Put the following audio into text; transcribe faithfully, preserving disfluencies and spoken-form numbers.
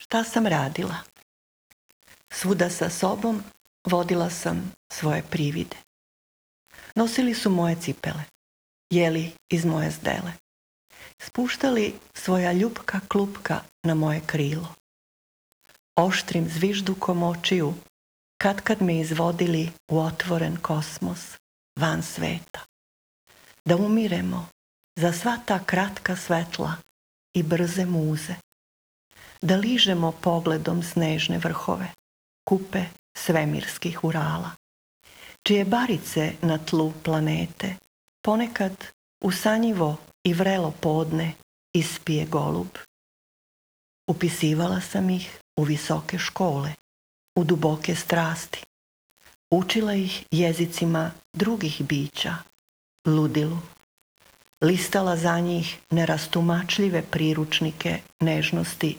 Šta sam radila? Svuda sa sobom vodila sam svoje privide. Nosili su moje cipele, jeli iz moje zdele, spuštali svoja ljupka klupka na moje krilo. Oštrim zviždukom očiju katkad me izvodili u otvoren kosmos van sveta. Da umiremo za sva ta kratka svetla i brze muze. Da ližemo pogledom snežne vrhove, kupe svemirskih Urala, čije barice na tlu planete ponekad usanjivo i vrelo podne ispije golub. Upisivala sam ih u visoke škole, u duboke strasti. Učila ih jezicima drugih bića, ludilu. Listala za njih nerastumačljive priručnike nežnosti